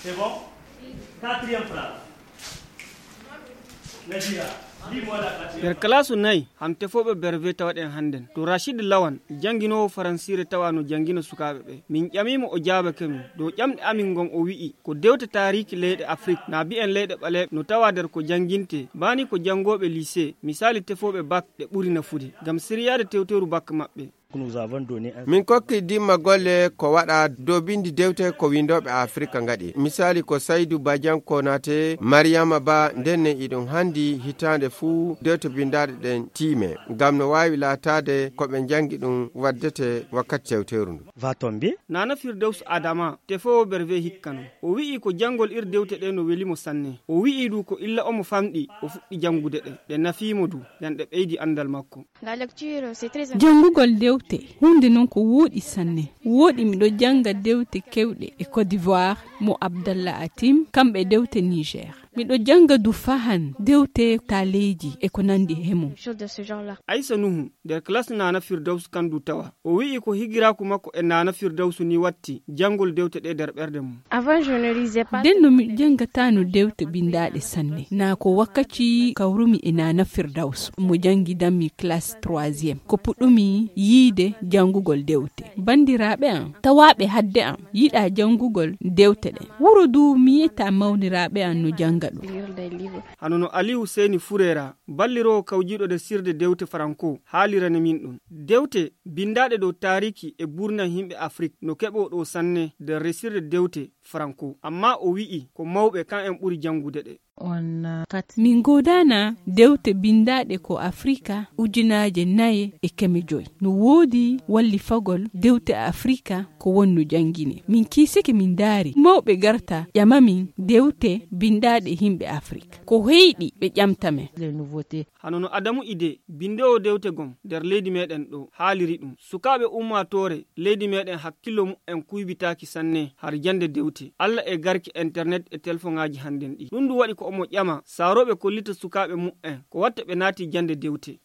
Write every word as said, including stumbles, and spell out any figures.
C'est bon. Quatrième phrase. Nadira, lis-moi la quatrième. Nder kalaasu nayi, han tefooɓe berve tawaɗen hannden. To Rachid Lawan, jannginoowo faransiire tawa no janngina sukaaɓe ɓe. Min ƴamii mo, o jaabake min. Dow ƴamɗe amin ngon, o wi'i, ko dewte taariiki leyɗe Afrik, na bi'en leyɗe ɓaleeɓe, no tawa nder ko janngintee. Baa ni ko janngooɓe lycée, misaali tefooɓe bak, ɗe ɓuri nafude, ngam siryaade tewteeru bak maɓɓe. Min kokki dimma golle ko waɗa dow binndi dewte ko winndooɓe Afirka ngaɗi. Misaali ko Saydu Badian Konate, Mariyama Ba, ndenne iɗum hanndi hitaande fuu dewte binndaaɗe ɗen tiime, ngam no waawi laataade ko ɓe njanngi ɗum waddete wakkati tewteeru ndu. Nana Firdawsu Adama, tefoowo berve hikka non. O wi'i ko janngol ir dewte ɗe no weli mo sanne. O wi'i du ko illa omo famɗi, o fuɗɗi janngude ɗe. Ɗe nafii mo du, ngam ɗe ɓeydi anndal makko. Janngugol dewte, huunde non ko wooɗi sanne. Wooɗi miɗo jannga dewte kewɗe e Côte d'Ivoire mo Abdallah Atim, kamɓe dewte Niger. Miɗo jannga du fahan dewte taaleeji e ko nanndi he mum. Aysa Nuhu, nder classe Nana Firdaus kan du tawa. O wi'i ko higiraaku makko e Nana Firdaus ni watti janngol dewte ɗe nder ɓernde mum. Avant, je ne lisais pas. Nden no mi janngataano dewte binndaaɗe sanne. Naa ko wakkaci kawrumi e Nana Firdaus, mo janngi dammi classe troisième. Ko puɗɗumi yiide janngugol dewte. Banndiraaɓe am, tawaaɓe hadde am, yiɗaa janngugol dewte ɗen. Wuro du mi yi'ataa mawniraaɓe am no jannga ɗum. Hano no Aliyu Seyni Fureera, balliroowo kawjiiɗo nder sirde dewte Faranko, haalirani min ɗum. Dewte binndaaɗe dow taariiki e buurnam yimɓe Afrik no keɓoo ɗoo sanne nder resirde dewte Faranko. Ammaa o wi'i ko mawɓe kan en ɓuri janngude ɗe. Min goodaana dewte binndaaɗe ko Afrika ujunaaje nayi e keme joy. No woodi wallifagol dewte Afrika ko wonno janngine. Min kiisike min ndaari mawɓe garta ƴama min dewte binndaaɗe yimɓe Afrika. Ko heyɗi ɓe ƴamta men. Hano no Adamu Ide, binndoowo dewte gom nder leydi meɗen ɗo, haaliri ɗum. Sukaaɓe ummaatoore leydi meɗen hakkillo mu'en kuybitaaki sanne har jannde dewte. Alla e garki internet e telefoŋaaji hannden ɗi. Ɗum du waɗi ko omo ƴama saarooɓe kollita sukaaɓe mu'en ko watta ɓe naati jannde dewte.